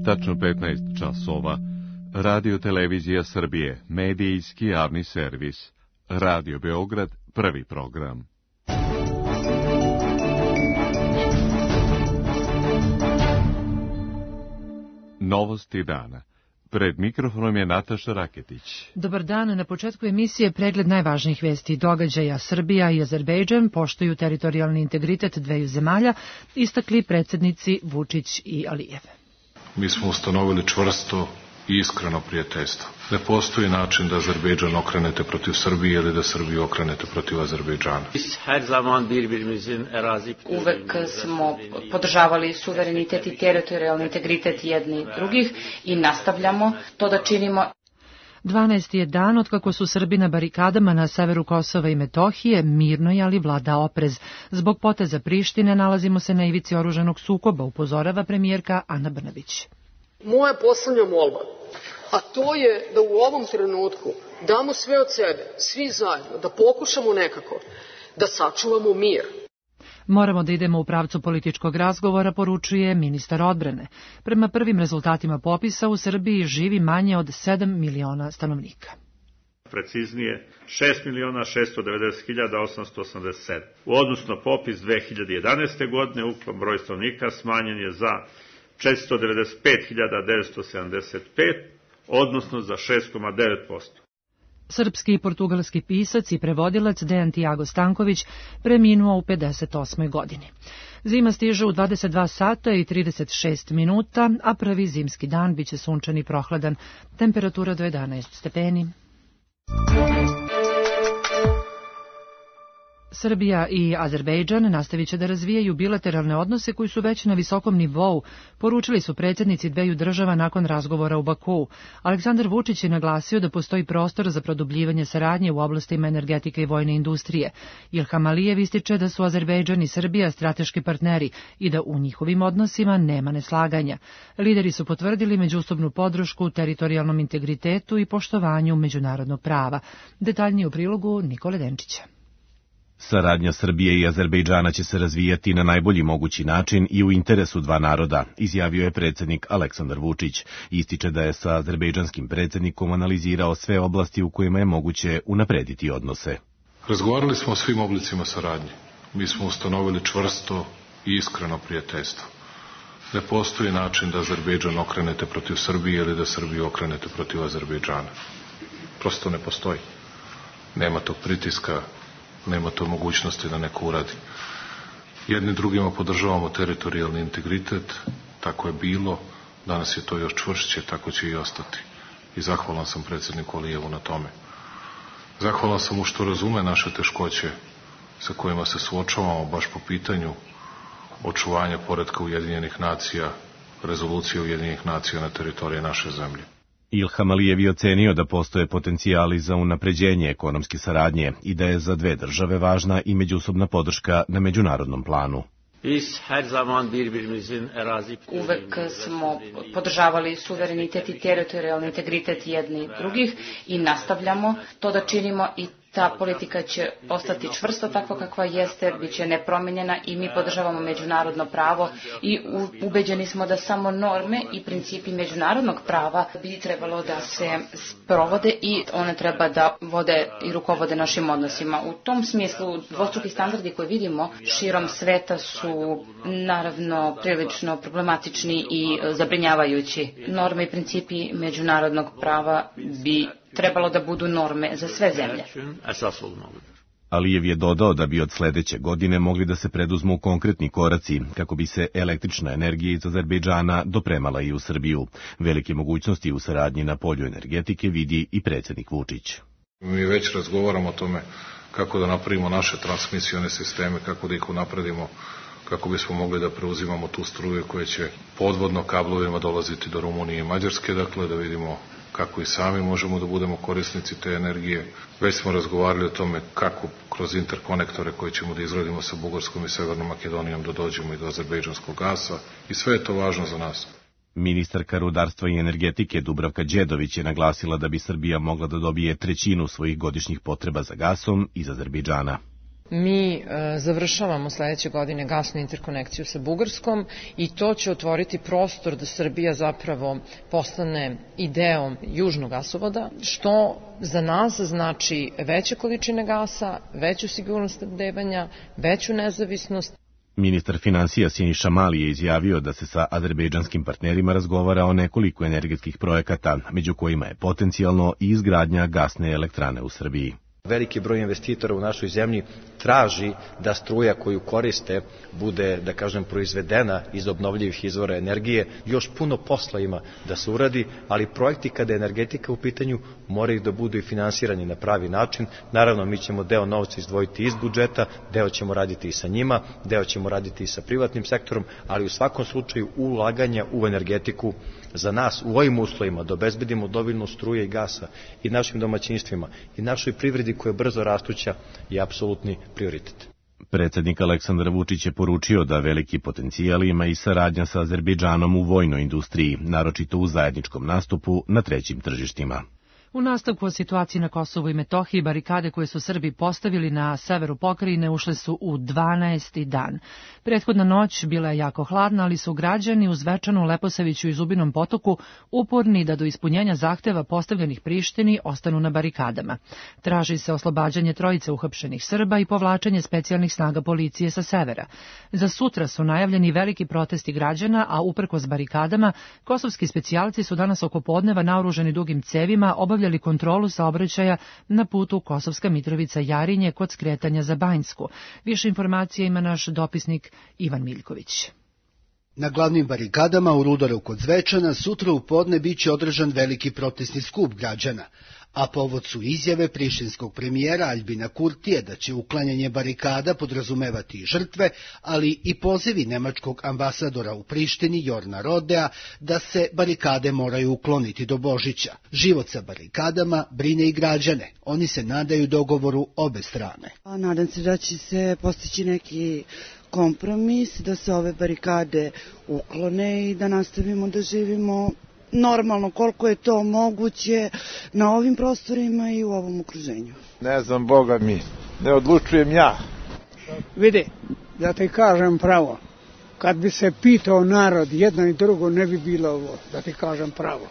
Tačno 15 časova. Radio Televizija Srbije, medijski javni servis. Radio Beograd, prvi program. Novosti dana. Pred mikrofonom je Nataša Raketić. Dobar dan, na početku emisije pregled najvažnijih vesti i događaja. Srbija i Azerbejdžan poštuju teritorijalni integritet dveju zemalja, istakli predsjednici Vučić i Alijev. Mi smo ustanovili čvrsto i iskreno prijateljstvo. Ne postoji način da Azerbejdžan okrenete protiv Srbije ili da Srbiju okrenete protiv Azerbejdžana. Uvek smo podržavali suverenitet i teritorijalni integritet jedni drugih i nastavljamo to da činimo. 12. je dan otkako su Srbi na barikadama na severu Kosova i Metohije, mirno je ali vlada oprez. Zbog poteza Prištine nalazimo se na ivici oružanog sukoba, upozorava premijerka Ana Brnabić. Moja poslednja molba, a to je da u ovom trenutku damo sve od sebe, svi zajedno, da pokušamo nekako da sačuvamo mir. Moramo da idemo u pravcu političkog razgovora, poručuje ministar odbrane. Prema prvim rezultatima popisa u Srbiji živi manje od 7 miliona stanovnika. Preciznije 6.690.887. U odnosu na popis 2011. godine ukupan broj stanovnika smanjen je za 495.975, odnosno za 6,9%. Srpski i portugalski pisac i prevodilac Dejan Tiago Stanković preminuo u 58. godini. Zima stiže u 22 sata i 36 minuta, a prvi zimski dan biće sunčan i prohladan, temperatura do 11 stepeni. Srbija i Azerbejdžan nastavit će da razvijaju bilateralne odnose koji su već na visokom nivou, poručili su predsjednici dveju država nakon razgovora u Bakuu. Aleksandar Vučić je naglasio da postoji prostor za produbljivanje saradnje u oblastima energetike i vojne industrije. Ilham Alijev ističe da su Azerbejdžan i Srbija strateški partneri i da u njihovim odnosima nema neslaganja. Lideri su potvrdili međusobnu podršku teritorijalnom integritetu i poštovanju međunarodnog prava. Detaljnije u prilogu Nikole Denčića. Saradnja Srbije i Azerbejdžana će se razvijati na najbolji mogući način i u interesu dva naroda, izjavio je predsjednik Aleksandar Vučić. Ističe da je sa azerbejdžanskim predsjednikom analizirao sve oblasti u kojima je moguće unaprediti odnose. Razgovarali smo o svim oblicima saradnje. Mi smo ustanovili čvrsto i iskreno prijateljstvo. Ne postoji način da Azerbejdžan okrenete protiv Srbije ili da Srbiju okrenete protiv Azerbejdžana. Prosto ne postoji. Nema tog pritiska, nema to mogućnosti da neko uradi. Jedni drugima podržavamo teritorijalni integritet, tako je bilo, danas je to još čvršće, tako će i ostati. I zahvalan sam predsjedniku Alijevu na tome. Zahvalan sam mu što razume naše teškoće sa kojima se suočavamo baš po pitanju očuvanja poretka Ujedinjenih nacija, rezolucije Ujedinjenih nacija na teritoriji naše zemlje. Ilham Alijev je ocenio da postoje potencijali za unapređenje ekonomske saradnje i da je za dve države važna i međusobna podrška na međunarodnom planu. Uvek smo podržavali suverenitet i teritorijalni integritet jedni drugih i nastavljamo to da činimo i ta politika će ostati čvrsto takva kakva jeste, bit će nepromenjena i mi podržavamo međunarodno pravo i ubeđeni smo da samo norme i principi međunarodnog prava bi trebalo da se sprovode i one treba da vode i rukovode našim odnosima. U tom smislu dvostruki standardi koje vidimo širom sveta su naravno prilično problematični i zabrinjavajući. Norme i principi međunarodnog prava bi trebalo da budu norme za sve zemlje. Alijev je dodao da bi od sledeće godine mogli da se preduzmu konkretni koraci kako bi se električna energija iz Azerbejdžana dopremala i u Srbiju. Velike mogućnosti u saradnji na polju energetike vidi i predsjednik Vučić. Mi već razgovaramo o tome kako da napravimo naše transmisione sisteme, kako da ih unapredimo, kako bismo mogli da preuzimamo tu struju koja će podvodno kablovima dolaziti do Rumunije i Mađarske, dakle da vidimo kako i sami možemo da budemo korisnici te energije. Već smo razgovarali o tome kako kroz interkonektore koje ćemo da izgradimo sa Bugarskom i Severnom Makedonijom da dođemo i do azerbejdžanskog gasa i sve je to važno za nas. Ministarka rudarstva i energetike Dubravka Đedović je naglasila da bi Srbija mogla da dobije trećinu svojih godišnjih potreba za gasom iz Azerbejdžana. mi završavamo sledeće godine gasnu interkonekciju sa Bugarskom i to će otvoriti prostor da Srbija zapravo postane i deo južnog gasovoda, što za nas znači veće količine gasa, veću sigurnost snabdevanja, veću nezavisnost. Ministar finansija Siniša Mali je izjavio da se sa azerbejdžanskim partnerima razgovara o nekoliko energetskih projekata, među kojima je potencijalno i izgradnja gasne elektrane u Srbiji. Veliki broj investitora u našoj zemlji traži da struja koju koriste bude, da kažem, proizvedena iz obnovljivih izvora energije. Još puno posla ima da se uradi, ali projekti kada je energetika u pitanju moraju da budu i finansirani na pravi način. Naravno, mi ćemo deo novca izdvojiti iz budžeta, deo ćemo raditi i sa njima, deo ćemo raditi i sa privatnim sektorom, ali u svakom slučaju ulaganja u energetiku za nas u ovim uslovima da obezbedimo dovoljno struje i gasa i našim domaćinstvima i našoj privredi koja je brzo rastuća je apsolutni prioritet. Predsednik Aleksandar Vučić je poručio da veliki potencijal ima i saradnja sa Azerbejdžanom u vojnoj industriji, naročito u zajedničkom nastupu na trećim tržištima. U nastavku o situaciji na Kosovu i Metohiji, barikade koje su Srbi postavili na severu pokrajine ušle su u 12. dan. Prethodna noć bila je jako hladna, ali su građani u Zvečanu, Leposaviću i Zubinom Potoku uporni da do ispunjenja zahteva postavljenih Prištini ostanu na barikadama. Traži se oslobađanje trojice uhapšenih Srba i povlačenje specijalnih snaga policije sa severa. Za sutra su najavljeni veliki protesti građana, a uprkos barikadama, kosovski specijalci su danas oko podneva naoružani dugim cevima obavljali kontrolu saobraćaja na putu Kosovska Mitrovica-Jarinje kod skretanja za Banjsku. Više informacija ima naš dopisnik Ivan Miljković. Na glavnim barikadama u Rudaru kod Zvečana sutra u podne biće održan veliki protestni skup građana, a povod su izjave prištinskog premijera Aljbina Kurtija da će uklanjanje barikada podrazumevati i žrtve, ali i pozivi nemačkog ambasadora u Prištini Jorna Rodea da se barikade moraju ukloniti do Božića. Život sa barikadama brine i građane. Oni se nadaju dogovoru obe strane. Nadam se da će se postići neki kompromis, da se ove barikade uklone i da nastavimo da živimo normalno koliko je to moguće na ovim prostorima i u ovom okruženju. Ne znam, Boga mi, ne odlučujem ja. Vidi, da ti kažem pravo, kad bi se pitao narod jedno i drugo ne bi bilo ovo, da ti kažem pravo.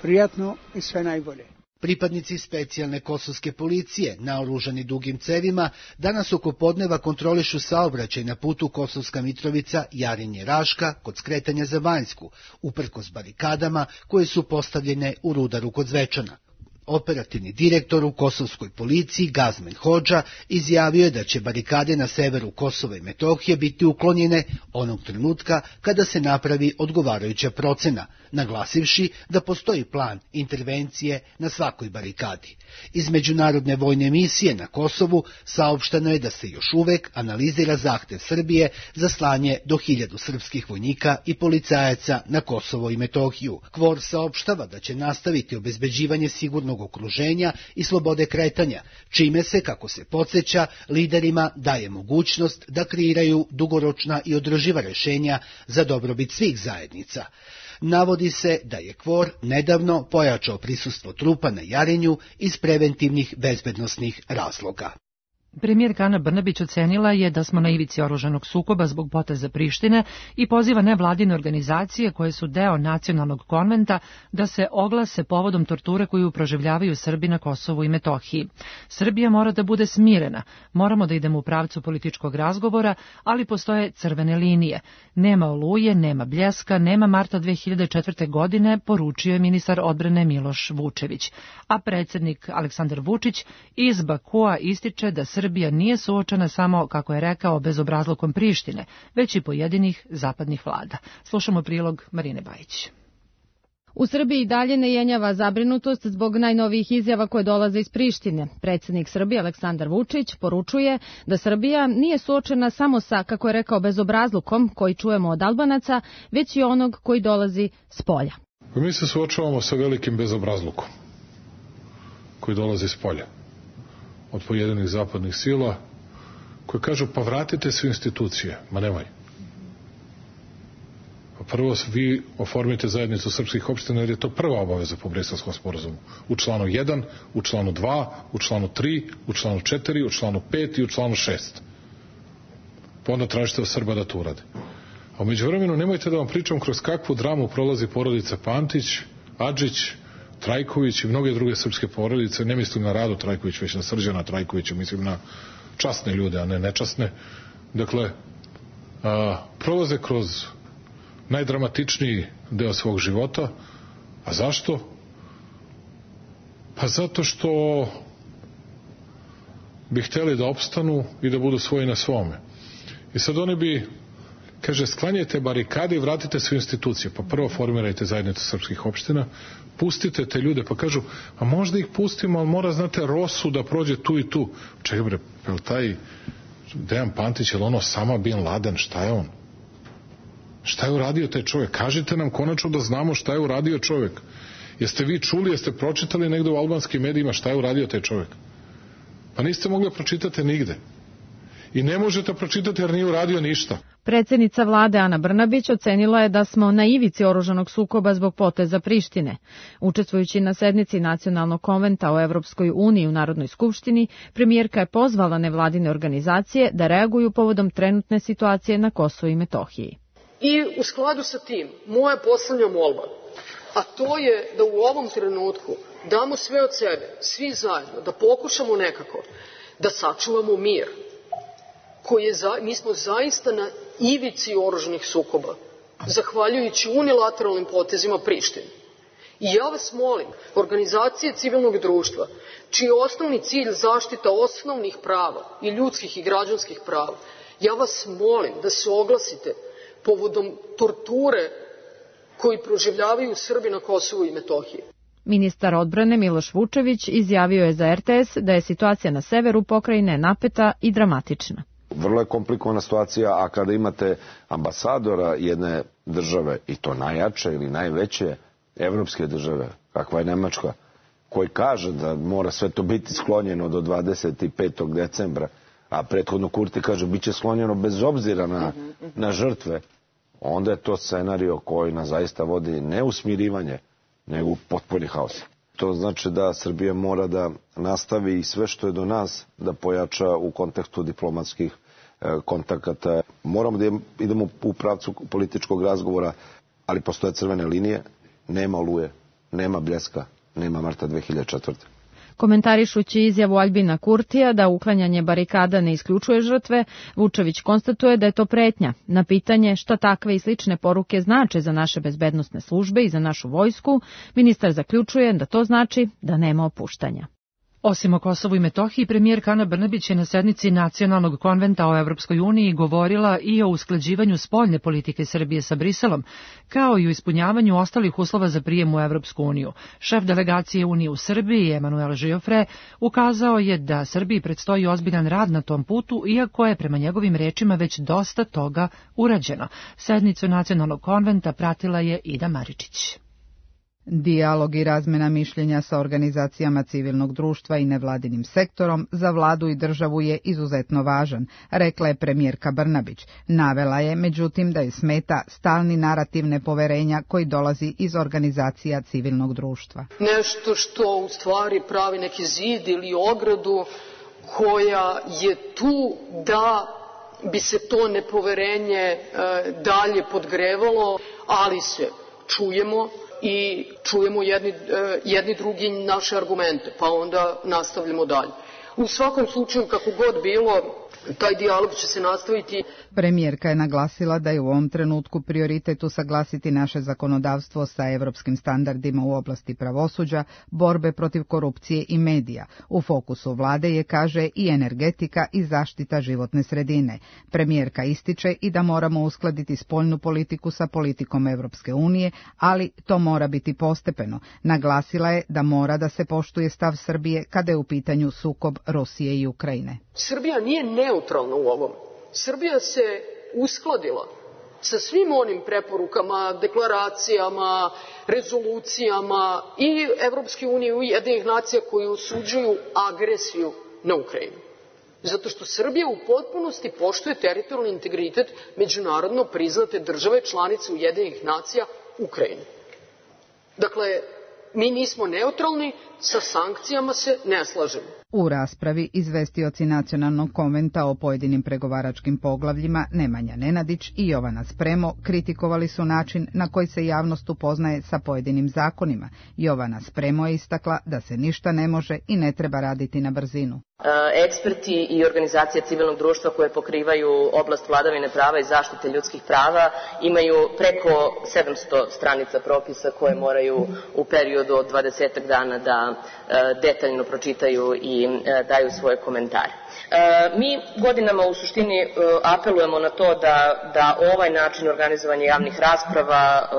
Prijatno i sve najbolje. Pripadnici specijalne kosovske policije, naoružani dugim cevima, danas oko podneva kontrolišu saobraćaj na putu Kosovska Mitrovica, Jarinje, Raška, kod skretanja za Banjsku, uprkos barikadama koje su postavljene u Rudaru kod Zvečana. Operativni direktor u kosovskoj policiji Gazmen Hodža izjavio je da će barikade na severu Kosova i Metohije biti uklonjene onog trenutka kada se napravi odgovarajuća procena, naglasivši da postoji plan intervencije na svakoj barikadi. Iz međunarodne vojne misije na Kosovu saopšteno je da se još uvek analizira zahtev Srbije za slanje do 1000 srpskih vojnika i policajaca na Kosovo i Metohiju. KFOR saopštava da će nastaviti obezbeđivanje sigurnog okruženja i slobode kretanja, čime se, kako se podsjeća, liderima daje mogućnost da kreiraju dugoročna i održiva rešenja za dobrobit svih zajednica. Navodi se da je KFOR nedavno pojačao prisustvo trupa na Jarinju iz preventivnih bezbednosnih razloga. Premijerka Ana Brnabić ocenila je da smo na ivici oružanog sukoba zbog poteza Prištine i poziva nevladine organizacije koje su deo nacionalnog konventa da se oglase povodom torture koju proživljavaju Srbi na Kosovu i Metohiji. Srbija mora da bude smirena, moramo da idemo u pravcu političkog razgovora, ali postoje crvene linije. Nema Oluje, nema Bljeska, nema marta 2004. godine, poručio je ministar odbrane Miloš Vučević. A predsjednik Aleksandar Vučić iz Bakua ističe da Srbija nije suočena samo, kako je rekao, bezobrazlukom Prištine, već i pojedinih zapadnih vlada. Slušamo prilog Marine Bajić. U Srbiji dalje ne jenjava zabrinutost zbog najnovijih izjava koje dolaze iz Prištine. Predsjednik Srbije Aleksandar Vučić poručuje da Srbija nije suočena samo sa, kako je rekao, bezobrazlukom koji čujemo od Albanaca, već i onog koji dolazi s polja. Mi se suočavamo sa velikim bezobrazlukom koji dolazi s polja od pojedinih zapadnih sila koje kažu pa vratite sve institucije. Ma nemoj. Pa prvo vi oformite zajednicu srpskih opština, jer je to prva obaveza po Briselskom sporazumu. U članu 1, u članu 2, u članu 3, u članu 4, u članu 5 i u članu 6. Pa onda tražite od Srba da to urade. A umeđu vremenu nemojte da vam pričam kroz kakvu dramu prolazi porodica Pantić, Adžić, Trajković i mnoge druge srpske porodice. Ne mislim na Radu Trajković, već na Srđana Trajkovića, mislim na časne ljude, a ne nečasne. Dakle, prolaze kroz najdramatičniji deo svog života. A zašto? Pa zato što bi hteli da opstanu i da budu svoji na svome. I sad oni bi, kaže, sklanjajte barikade i vratite sve institucije. Pa prvo formirajte zajednicu srpskih opština, pustite te ljude, pa kažu, a možda ih pustimo, ali mora, znate, Rosu da prođe tu i tu. Čekaj bre, je taj Dejan Pantić, je li ono Osama Bin Laden, šta je on? Šta je uradio taj čovjek? Kažite nam konačno da znamo šta je uradio čovjek. Jeste vi čuli, jeste pročitali negde u albanskim medijima šta je uradio taj čovjek? Pa niste mogli pročitati nigde. I ne možete pročitati jer nije uradio ništa. Predsjednica vlade Ana Brnabić ocenila je da smo na ivici oružanog sukoba zbog poteza Prištine. Učestvujući na sednici Nacionalnog konventa o Evropskoj uniji u Narodnoj skupštini, premijerka je pozvala nevladine organizacije da reaguju povodom trenutne situacije na Kosovu i Metohiji. I u skladu sa tim, moja poslednja molba, a to je da u ovom trenutku damo sve od sebe, svi zajedno, da pokušamo nekako da sačuvamo mir. Mi smo zaista na ivici oružanih sukoba, zahvaljujući unilateralnim potezima Prištine. I ja vas molim, organizacije civilnog društva, čiji je osnovni cilj zaštita osnovnih prava i ljudskih i građanskih prava, ja vas molim da se oglasite povodom torture koji proživljavaju Srbi na Kosovu i Metohiji. Ministar odbrane Miloš Vučević izjavio je za RTS da je situacija na severu pokrajine napeta i dramatična. Vrlo je komplikovana situacija, a kada imate ambasadora jedne države, i to najjače ili najveće evropske države, kakva je Nemačka, koji kaže da mora sve to biti sklonjeno do 25. decembra, a prethodno Kurti kaže bit će sklonjeno bez obzira na žrtve, onda je to scenario koji nas zaista vodi ne u smirivanje, nego u potpuni haos. To znači da Srbija mora da nastavi sve što je do nas da pojača u kontekstu diplomatskih kontakata. Moramo da idemo u pravcu političkog razgovora, ali postoje crvene linije, nema Oluje, nema Bljeska, nema marta 2004. Komentarišući izjavu Aljbina Kurtija da uklanjanje barikada ne isključuje žrtve, Vučević konstatuje da je to pretnja. Na pitanje šta takve i slične poruke znače za naše bezbednosne službe i za našu vojsku, ministar zaključuje da to znači da nema opuštanja. Osim o Kosovu i Metohiji, premijerka Ana Brnabić je na sednici Nacionalnog konventa o Evropskoj uniji govorila i o usklađivanju spoljne politike Srbije sa Briselom, kao i o ispunjavanju ostalih uslova za prijem u Evropsku uniju. Šef delegacije Unije u Srbiji, Emanuel Žiofre, ukazao je da Srbiji predstoji ozbiljan rad na tom putu, iako je prema njegovim rečima već dosta toga urađeno. Sednicu Nacionalnog konventa pratila je Ida Maričić. Dijalog i razmena mišljenja sa organizacijama civilnog društva i nevladinim sektorom za vladu i državu je izuzetno važan, rekla je premijerka Brnabić. Navela je, međutim, da je smeta stalni narativ nepoverenja koji dolazi iz organizacija civilnog društva. Nešto što u stvari pravi neki zid ili ogradu koja je tu da bi se to nepoverenje dalje podgrevalo, ali se čujemo i čujemo jedni drugi naše argumente, pa onda nastavljamo dalje. U svakom slučaju, kako god bilo, taj dijalog će se nastaviti. Premijerka je naglasila da je u ovom trenutku prioritet usaglasiti naše zakonodavstvo sa evropskim standardima u oblasti pravosuđa, borbe protiv korupcije i medija. U fokusu vlade je, kaže, i energetika i zaštita životne sredine. Premijerka ističe i da moramo uskladiti spoljnu politiku sa politikom Evropske unije, ali to mora biti postepeno. Naglasila je da mora da se poštuje stav Srbije kada je u pitanju sukob Rusije i Ukrajine. Srbija nije neutralna u ovom. Srbija se uskladila sa svim onim preporukama, deklaracijama, rezolucijama i Evropske unije i Ujedinjenih nacija koji osuđuju agresiju na Ukrajinu. Zato što Srbija u potpunosti poštuje teritorijalni integritet međunarodno priznate države članice Ujedinjenih nacija Ukrajine. Dakle, mi nismo neutralni, sa sankcijama se ne slažemo. U raspravi izvestioci Nacionalnog konventa o pojedinim pregovaračkim poglavljima Nemanja Nenadić i Jovana Spremo kritikovali su način na koji se javnost upoznaje sa pojedinim zakonima. Jovana Spremo je istakla da se ništa ne može i ne treba raditi na brzinu. Eksperti i organizacije civilnog društva koje pokrivaju oblast vladavine prava i zaštite ljudskih prava imaju preko 700 stranica propisa koje moraju u periodu od 20 dana da detaljno pročitaju i daju svoje komentare. Mi godinama u suštini apelujemo na to da ovaj način organizovanja javnih rasprava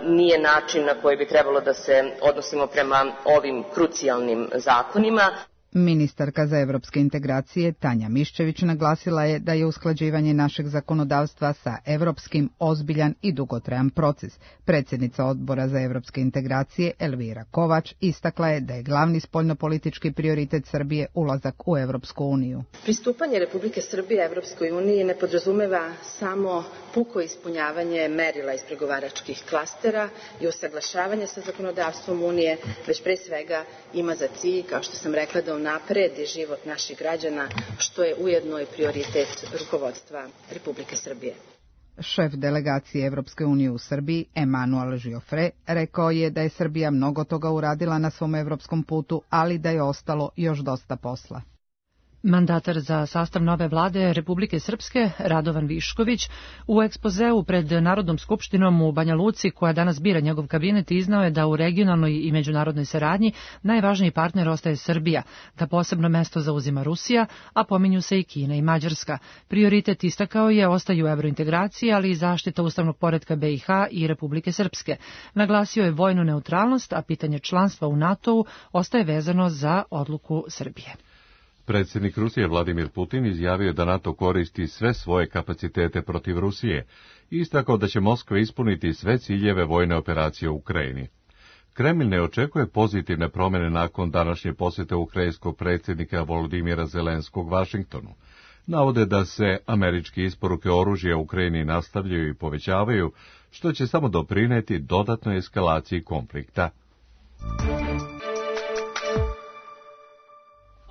nije način na koji bi trebalo da se odnosimo prema ovim krucijalnim zakonima. Ministarka za evropske integracije Tanja Miščević naglasila je da je usklađivanje našeg zakonodavstva sa evropskim ozbiljan i dugotrajan proces. Predsjednica Odbora za evropske integracije Elvira Kovač istakla je da je glavni spoljnopolitički prioritet Srbije ulazak u Evropsku uniju. Pristupanje Republike Srbije Evropskoj uniji ne podrazumeva samo puko ispunjavanje merila iz pregovaračkih klastera i usaglašavanje sa zakonodavstvom Unije, već pre svega ima za cilj, kao što sam rekla, da unapredi život naših građana, što je ujedno i prioritet rukovodstva Republike Srbije. Šef delegacije Evropske unije u Srbiji, Emanuel Giofre, rekao je da je Srbija mnogo toga uradila na svom evropskom putu, ali da je ostalo još dosta posla. Mandatar za sastav nove vlade Republike Srpske, Radovan Višković, u ekspozeu pred Narodnom skupštinom u Banja Luci, koja danas bira njegov kabinet, iznao je da u regionalnoj i međunarodnoj saradnji najvažniji partner ostaje Srbija, da posebno mesto zauzima Rusija, a pominju se i Kina i Mađarska. Prioritet, istakao je, ostaju evrointegracije, ali i zaštita ustavnog poretka BiH i Republike Srpske. Naglasio je vojnu neutralnost, a pitanje članstva u NATO-u ostaje vezano za odluku Srbije. Predsjednik Rusije Vladimir Putin izjavio da NATO koristi sve svoje kapacitete protiv Rusije i istakao da će Moskva ispuniti sve ciljeve vojne operacije u Ukrajini. Kremlj ne očekuje pozitivne promjene nakon današnje posjete ukrajinskog predsjednika Volodimira Zelenskog Vašingtonu. Navode da se američke isporuke oružja Ukrajini nastavljaju i povećavaju, što će samo doprineti dodatnoj eskalaciji konflikta.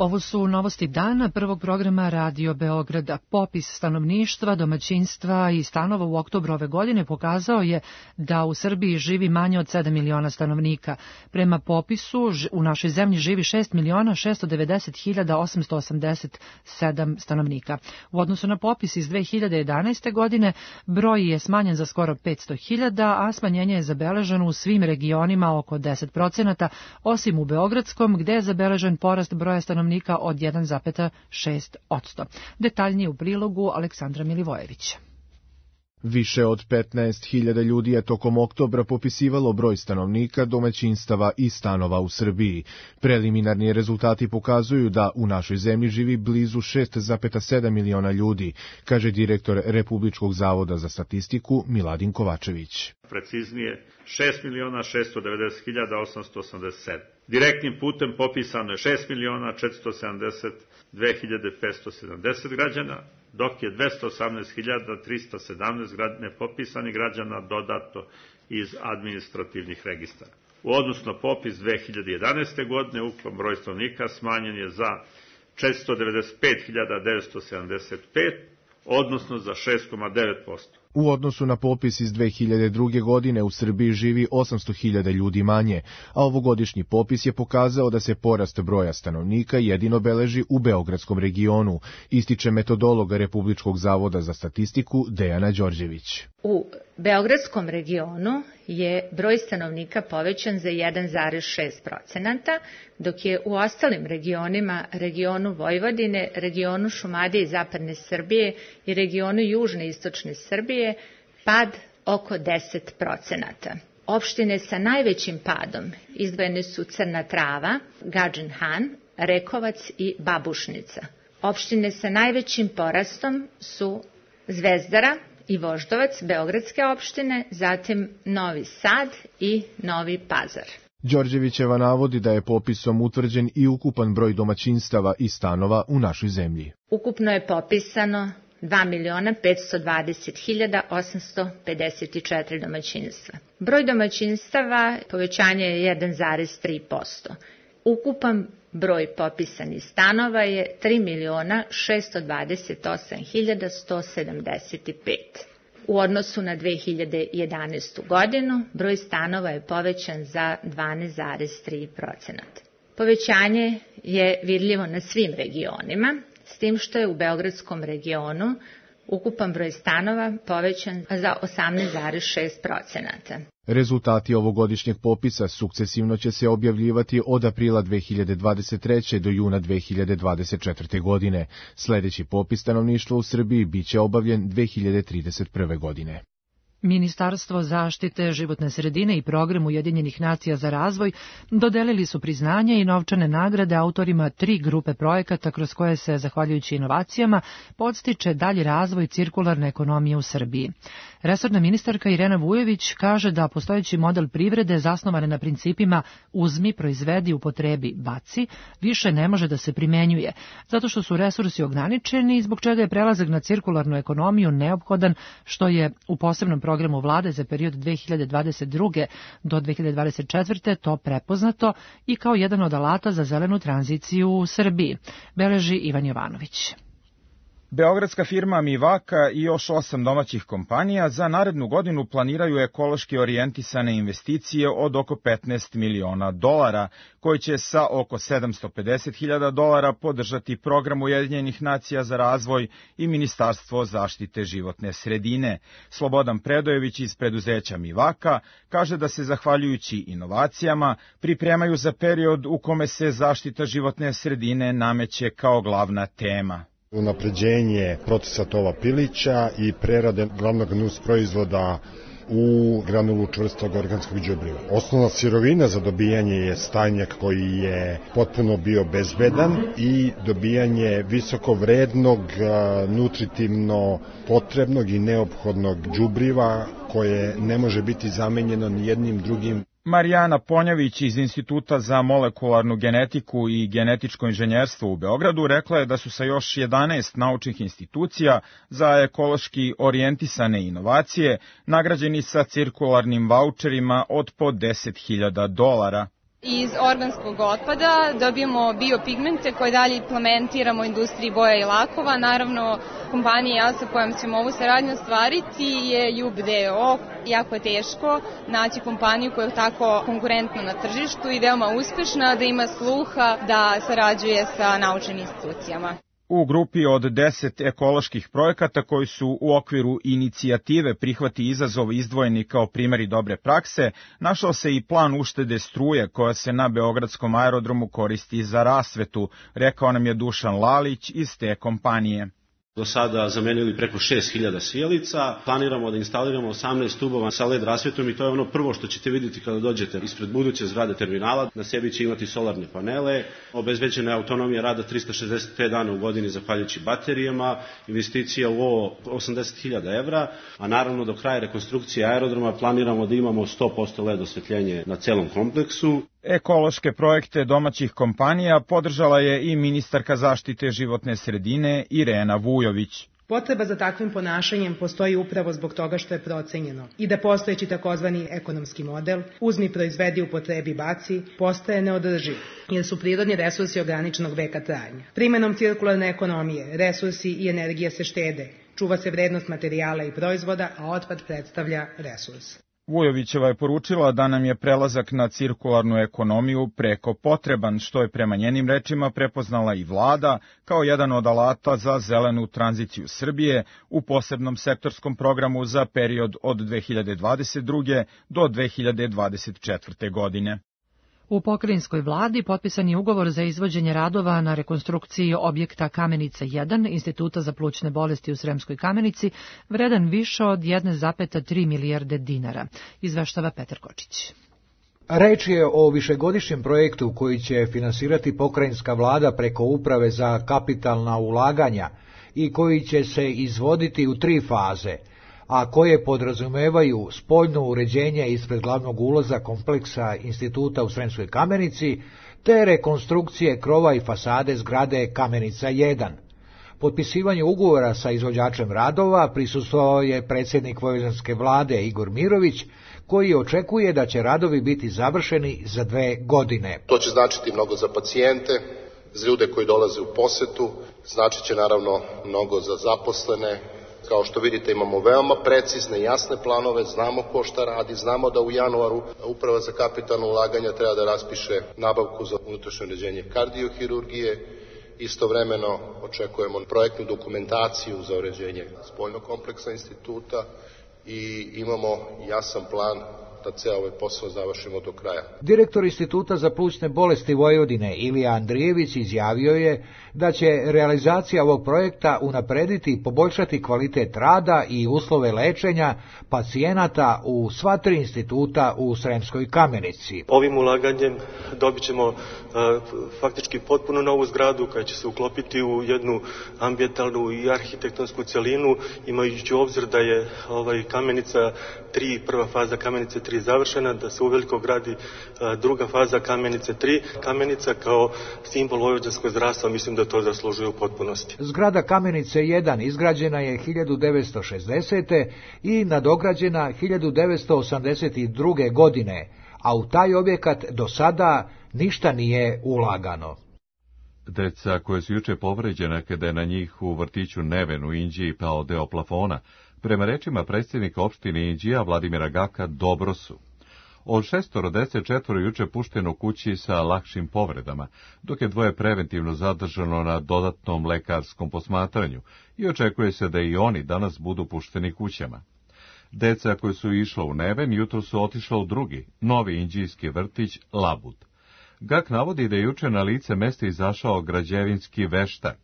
Ovo su novosti dana prvog programa Radio Beograda. Popis stanovništva, domaćinstva i stanova u oktobru ove godine pokazao je da u Srbiji živi manje od 7 miliona stanovnika. Prema popisu u našoj zemlji živi 6.690.887 stanovnika. U odnosu na popis iz 2011. godine broj je smanjen za skoro 500.000, a smanjenje je zabeleženo u svim regionima oko 10%, osim u Beogradskom, gde je zabeležen porast broja stanovnika od 1,6%. Detaljnije u prilogu Aleksandra Milivojevića. Više od 15.000 ljudi je tokom oktobra popisivalo broj stanovnika, domaćinstava i stanova u Srbiji. Preliminarni rezultati pokazuju da u našoj zemlji živi blizu 6,7 miliona ljudi, kaže direktor Republičkog zavoda za statistiku Miladin Kovačević. Preciznije 6.690.887. Direktnim putem popisano je 6.472.570 građana, dok je 218.317 nepopisanih građana dodato iz administrativnih registara. U odnosu na popis 2011. godine ukupan broj stanovnika smanjen je za 495.975, odnosno za 6,9%. U odnosu na popis iz 2002. godine u Srbiji živi 800.000 ljudi manje, a ovogodišnji popis je pokazao da se porast broja stanovnika jedino beleži u Beogradskom regionu, ističe metodologa Republičkog zavoda za statistiku Dejana Đorđević. U Beogradskom regionu je broj stanovnika povećan za 1,6%, dok je u ostalim regionima, regionu Vojvodine, regionu Šumadije i Zapadne Srbije i regionu Južne i Istočne Srbije pad oko 10%. Opštine sa najvećim padom izdvojene su Crna Trava, Gadžin Han, Rekovac i Babušnica. Opštine sa najvećim porastom su Zvezdara i Voždovac, beogradske opštine, zatim Novi Sad i Novi Pazar. Đorđevićeva navodi da je popisom utvrđen i ukupan broj domaćinstava i stanova u našoj zemlji. Ukupno je popisano 2.520.854 domaćinstva. Broj domaćinstava povećanje je 1,3%. Ukupan broj popisanih stanova je 3.628.175. U odnosu na 2011. godinu broj stanova je povećan za 12,3%. Povećanje je vidljivo na svim regionima, s tim što je u Beogradskom regionu ukupan broj stanova povećan za 18,6%. Rezultati ovogodišnjeg popisa sukcesivno će se objavljivati od aprila 2023. do juna 2024. godine. Sledeći popis stanovništva u Srbiji biće obavljen 2031. godine. Ministarstvo zaštite životne sredine i Program Ujedinjenih nacija za razvoj dodelili su priznanje i novčane nagrade autorima 3 grupe projekata kroz koje se, zahvaljujući inovacijama, podstiče dalji razvoj cirkularne ekonomije u Srbiji. Resorna ministarka Irena Vujović kaže da postojeći model privrede zasnovan na principima uzmi, proizvedi, upotrebi, baci, više ne može da se primenjuje, zato što su resursi ograničeni i zbog čega je prelazak na cirkularnu ekonomiju neophodan, što je u posebnom programu vlade za period 2022. do 2024. to prepoznato i kao jedan od alata za zelenu tranziciju u Srbiji, beleži Ivan Jovanović. Beogradska firma Mivaka i još 8 domaćih kompanija za narednu godinu planiraju ekološki orijentisane investicije od oko $15 miliona, koji će sa oko $750.000 podržati Program Ujedinjenih nacija za razvoj i Ministarstvo zaštite životne sredine. Slobodan Predojević iz preduzeća Mivaka kaže da se, zahvaljujući inovacijama, pripremaju za period u kome se zaštita životne sredine nameće kao glavna tema. Unapređenje procesa tova pilića i prerade glavnog nus proizvoda u granulu čvrstog organskog đubriva. Osnovna sirovina za dobijanje je stajnjak koji je potpuno bio bezbedan i dobijanje visoko vrednog, nutritivno potrebnog i neophodnog đubriva koje ne može biti zamenjeno ni jednim drugim. Marijana Ponjavić iz Instituta za molekularnu genetiku i genetičko inženjerstvo u Beogradu rekla je da su sa još 11 naučnih institucija za ekološki orijentisane inovacije nagrađeni sa cirkularnim vaučerima od po $10.000. Iz organskog otpada dobijemo biopigmente koje dalje implementiramo u industriji boja i lakova. Naravno, kompanija sa kojom ćemo ovu saradnju ostvariti je JUB DO. Jako je teško naći kompaniju koja je tako konkurentna na tržištu i veoma uspešna, da ima sluha da sarađuje sa naučnim institucijama. U grupi od 10 ekoloških projekata koji su u okviru inicijative Prihvati izazov izdvojeni kao primjeri dobre prakse, našao se i plan uštede struje koja se na Beogradskom aerodromu koristi za rasvetu, rekao nam je Dušan Lalić iz te kompanije. Do sada zamenili preko 6.000 svijelica, planiramo da instaliramo 18 stubova sa LED rasvetom i to je ono prvo što ćete vidjeti kada dođete ispred buduće zgrade terminala. Na sebi će imati solarne panele, obezbeđena je autonomija rada 365 dana u godini zahvaljujući baterijama, investicija u ovo 80.000 evra, a naravno do kraja rekonstrukcije aerodroma planiramo da imamo 100% LED osvetljenje na celom kompleksu. Ekološke projekte domaćih kompanija podržala je i ministarka zaštite životne sredine Irena Vujović. Potreba za takvim ponašanjem postoji upravo zbog toga što je procenjeno i da postojeći takozvani ekonomski model uzmi, proizvedi, upotrebi, baci postaje neodrživ jer su prirodni resursi ograničenog veka trajanja. Primenom cirkularne ekonomije resursi i energija se štede, čuva se vrednost materijala i proizvoda, a otpad predstavlja resurs. Vujovićeva je poručila da nam je prelazak na cirkularnu ekonomiju preko potreban, što je prema njenim rečima prepoznala i vlada kao jedan od alata za zelenu tranziciju Srbije u posebnom sektorskom programu za period od 2022. do 2024. godine. U pokrajinskoj vladi potpisan je ugovor za izvođenje radova na rekonstrukciji objekta Kamenica 1, Instituta za plućne bolesti u Sremskoj Kamenici, vredan više od 1,3 milijarde dinara, izveštava Petar Kočić. Reč je o višegodišnjem projektu koji će finansirati pokrajinska vlada preko Uprave za kapitalna ulaganja i koji će se izvoditi u 3 faze. a koje podrazumevaju spoljno uređenje ispred glavnog ulaza kompleksa instituta u Sremskoj Kamenici, te rekonstrukcije krova i fasade zgrade Kamenica 1. Potpisivanju ugovora sa izvođačem radova prisustvovao je predsjednik vojvođanske vlade Igor Mirović, koji očekuje da će radovi biti završeni za 2 godine. To će značiti mnogo za pacijente, za ljude koji dolaze u posetu, značit će naravno mnogo za zaposlene. Kao što vidite, imamo veoma precizne i jasne planove, znamo ko šta radi, znamo da u januaru Uprava za kapitalno ulaganja treba da raspiše nabavku za unutrašnje uređenje kardiohirurgije. Istovremeno očekujemo projektnu dokumentaciju za uređenje spoljnog kompleksa instituta i imamo jasan plan da ceo ovaj posao završimo do kraja. Direktor Instituta za plućne bolesti Vojvodine Ilija Andrijević izjavio je da će realizacija ovog projekta unaprediti i poboljšati kvalitet rada i uslove lečenja pacijenata u sva 3 instituta u Sremskoj Kamenici. Ovim ulaganjem dobit ćemo faktički potpuno novu zgradu koja će se uklopiti u jednu ambijentalnu i arhitektonsku celinu, imajući u obzir da je Kamenica 3, prva faza Kamenice 3 završena, da se uveliko gradi druga faza Kamenice 3. Kamenica kao simbol vojvođanskog zdravstva, mislim da to zaslužuje u potpunosti. Zgrada Kamenice 1 izgrađena je 1960. i nadograđena 1982. godine, a u taj objekat do sada ništa nije ulagano. Deca koje su juče povređena kada je na njih u vrtiću Neven u Inđiji pao deo plafona, prema rečima predsjednika opštine Inđija Vladimira Gaka, dobro su. Od 6 dece 4 juče pušteno kući sa lakšim povredama, dok je 2 preventivno zadržano na dodatnom lekarskom posmatranju i očekuje se da i oni danas budu pušteni kućama. Deca koji su išla u Neven jutro su otišla u drugi, novi inđijski vrtić Labud. Gak navodi da je juče na lice mesta izašao građevinski veštak.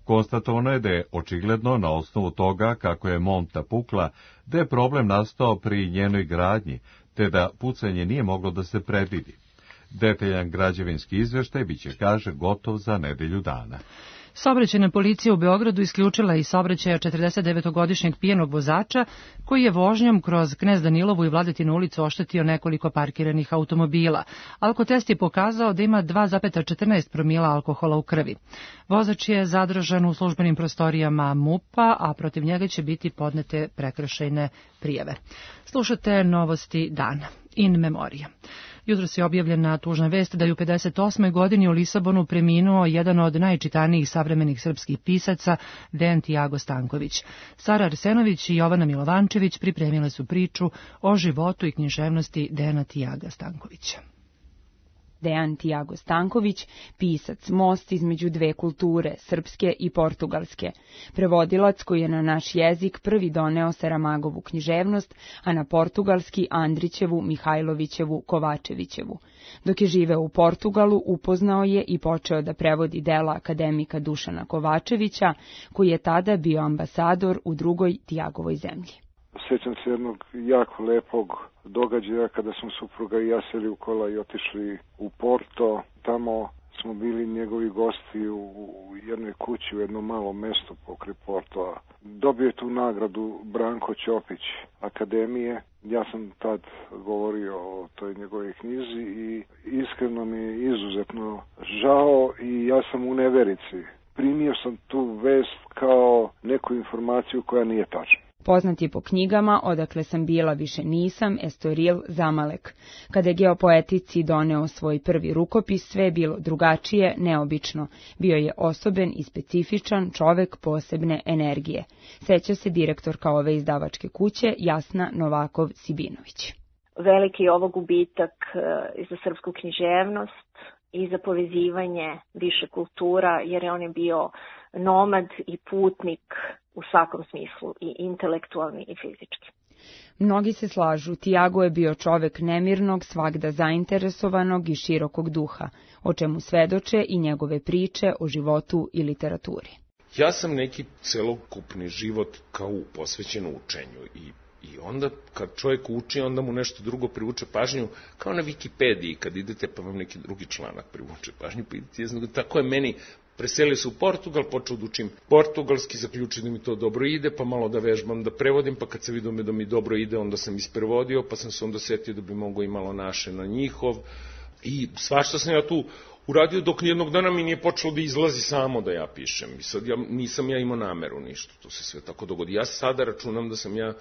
Konstatovano je da je očigledno na osnovu toga kako je monta pukla, da je problem nastao pri njenoj gradnji, te da pucanje nije moglo da se predvidi. Detaljan građevinski izveštaj biće, kaže, gotov za nedelju dana. Saobraćajna policija u Beogradu isključila iz saobraćaja 49-godišnjeg pijenog vozača koji je vožnjom kroz Knez Danilovu i Vladetinu ulicu oštetio nekoliko parkiranih automobila. Alkotest je pokazao da ima 2,14 promila alkohola u krvi. Vozač je zadržan u službenim prostorijama MUP-a, a protiv njega će biti podnete prekršajne prijave. Slušate novosti dana. In memoria. Jutros je objavljena tužna vest da je u 58. godini u Lisabonu preminuo jedan od najčitanijih savremenih srpskih pisaca, Dejan Tiago Stanković. Sara Arsenović i Jovana Milovančević pripremile su priču o životu i književnosti Dejana Tiaga Stankovića. Dejan Tiago Stanković, pisac, most između 2 kulture, srpske i portugalske. Prevodilac koji je na naš jezik prvi doneo Saramagovu književnost, a na portugalski Andrićevu, Mihajlovićevu, Kovačevićevu. Dok je živeo u Portugalu, upoznao je i počeo da prevodi dela akademika Dušana Kovačevića, koji je tada bio ambasador u drugoj Tiagovoj zemlji. Sjećam se jednog jako lepog događaja kada smo supruga i ja seli u kola i otišli u Porto. Tamo smo bili njegovi gosti u jednoj kući u jednom malom mestu pokraj Portoa. Dobio je tu nagradu Branko Ćopić Akademije. Ja sam tad govorio o toj njegovoj knjizi i iskreno mi je izuzetno žao i ja sam u neverici. Primio sam tu vest kao neku informaciju koja nije tačna. Poznat je po knjigama Odakle sam bila više nisam, Estoril, Zamalek. Kada je geopoetici doneo svoj prvi rukopis, sve je bilo drugačije, neobično. Bio je osoben i specifičan čovek posebne energije. Seća se direktorka ove izdavačke kuće, Jasna Novakov-Sibinović. Veliki je ovo gubitak i za srpsku književnost i za povezivanje više kultura, jer on je bio nomad i putnik u svakom smislu, i intelektualni i fizički. Mnogi se slažu, Tiago je bio čovek nemirnog, svagda zainteresovanog i širokog duha, o čemu svedoče i njegove priče o životu i literaturi. Ja sam neki celokupni život kao posvećen učenju i onda kad čovjek uči, onda mu nešto drugo privuče pažnju, kao na Wikipediji, kad idete pa vam neki drugi članak privuče pažnju, pa idete, tako je meni Preselio se u Portugal, počeo da učim portugalski, zaključio da mi to dobro ide, pa malo da vežbam, da prevodim, pa kad se vidio da mi dobro ide, onda sam isprevodio, pa sam se onda setio da bi mogo i malo naše na njihov. I svašta sam ja tu uradio dok nijednog dana mi nije počelo da izlazi samo da ja pišem. I sad nisam ja imao nameru ništa, to se sve tako dogodi. Ja sada računam da sam ja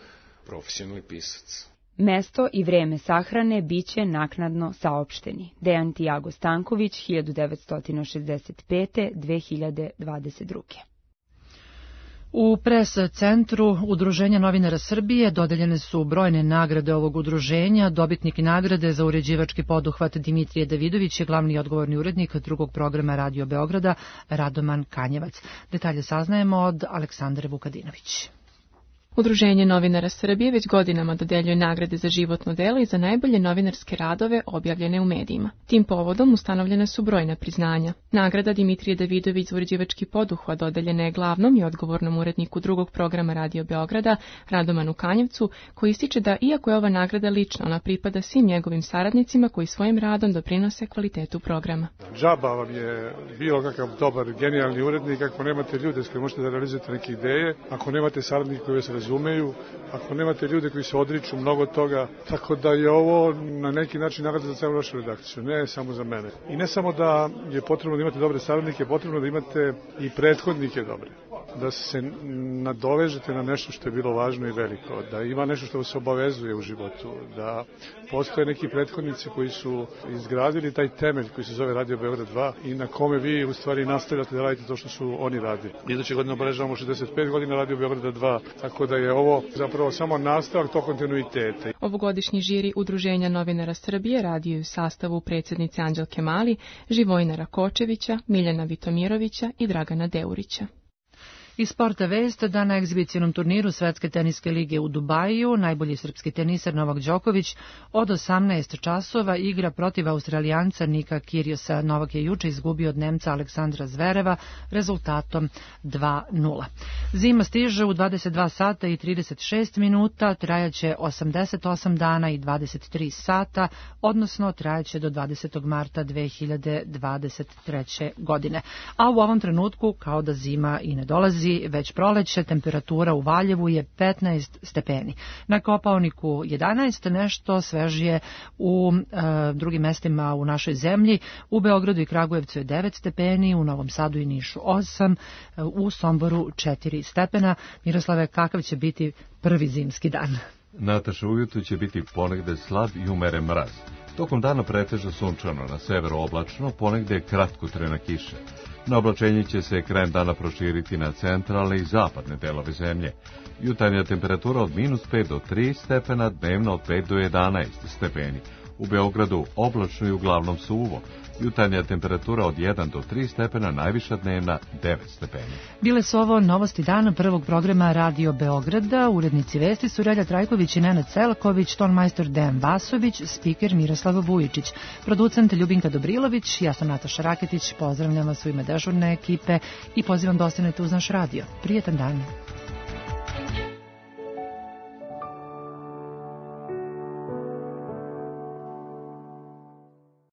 profesionalni pisac. Mesto i vreme sahrane biće naknadno saopšteni. Dejan Tiago Stanković, 1965-2022. U pres centru Udruženja novinara Srbije dodeljene su brojne nagrade ovog udruženja. Dobitnik nagrade za uređivački poduhvat Dimitrije Davidović je glavni odgovorni urednik drugog programa Radio Beograda Radoman Kanjevac. Detalje saznajemo od Aleksandre Vukadinović. Udruženje novinara Srbije već godinama dodeljuje nagrade za životno delo i za najbolje novinarske radove objavljene u medijima. Tim povodom ustanovljene su brojna priznanja. Nagrada Dimitrije Davidović za uređivački poduhvat dodeljena je glavnom i odgovornom uredniku drugog programa Radio Beograda Radomanu Kanjevcu, koji ističe da iako je ova nagrada lična, ona pripada svim njegovim saradnicima koji svojim radom doprinose kvalitetu programa. Džaba vam je bilo kakav dobar, genijalni urednik ako nemate ljude s kojima možete da realizujete neke ideje, ako nemate saradnike koji se razumeju, ako nemate ljude koji se odriču mnogo toga, tako da je ovo na neki način nagrada za celu našu redakciju, ne samo za mene. I ne samo da je potrebno da imate dobre saradnike, potrebno da imate i prethodnike dobre, da se nadovežete na nešto što je bilo važno i veliko, da ima nešto što vas obavezuje u životu, da postoje neki prethodnici koji su izgradili taj temelj koji se zove Radio Beograd 2 i na kome vi u stvari nastavljate da radite to što su oni radili. Iduće godine obeležavamo 65 godina Radio Beograda 2, tako da je ovo zapravo samo nastavak tog kontinuiteta. Ovogodišnji žiri Udruženja novinara Srbije radio je u sastavu predsjednice Anđelke Mali, Živojina Rakočevića, Miljana Vitomirovića i Dragana Deurića. Iz sporta vest da na egzibicionom turniru Svetske teniske lige u Dubaju najbolji srpski teniser Novak Đoković od 18 časova igra protiv Australijanca Nika Kyrgiosa. Novak je juče izgubio od Nemca Aleksandra Zvereva rezultatom 2:0. Zima stiže u 22 sata i 36 minuta, trajaće 88 dana i 23 sata, odnosno trajaće do 20. marta 2023. godine. A u ovom trenutku, kao da zima i ne dolazi, već proleće, temperatura u Valjevu je 15 stepeni. Na Kopaoniku 11, nešto svežije u drugim mestima u našoj zemlji. U Beogradu i Kragujevcu je 9 stepeni, u Novom Sadu i Nišu 8, u Somboru 4 stepena. Miroslave, kakav će biti prvi zimski dan? Nataša, ujutru će biti ponegde slab i umeren mraz. Tokom dana pretežno sunčano, na severu oblačno, ponegde kratkotrajna kiša. Na oblačenje će se krajem dana proširiti na centralne i zapadne delove zemlje. Jutarnja temperatura od -5 do 3 stepena, dnevno od 5 do 11 stepeni. U Beogradu oblačno i uglavnom suvo. Jutarnja temperatura od 1 do 3 stepena, najviša dnevna 9 stepeni. Bile su ovo novosti dana prvog programa Radio Beograda. Urednici vesti su Relja Trajković i Nenad Selaković, tonmajstor Dejan Vasović, spiker Miroslav Vujičić, producent Ljubinka Dobrilović, ja sam Nataša Raketić, pozdravljam vas u ime dežurne ekipe i pozivam da ostanete uz naš radio. Prijetan dan.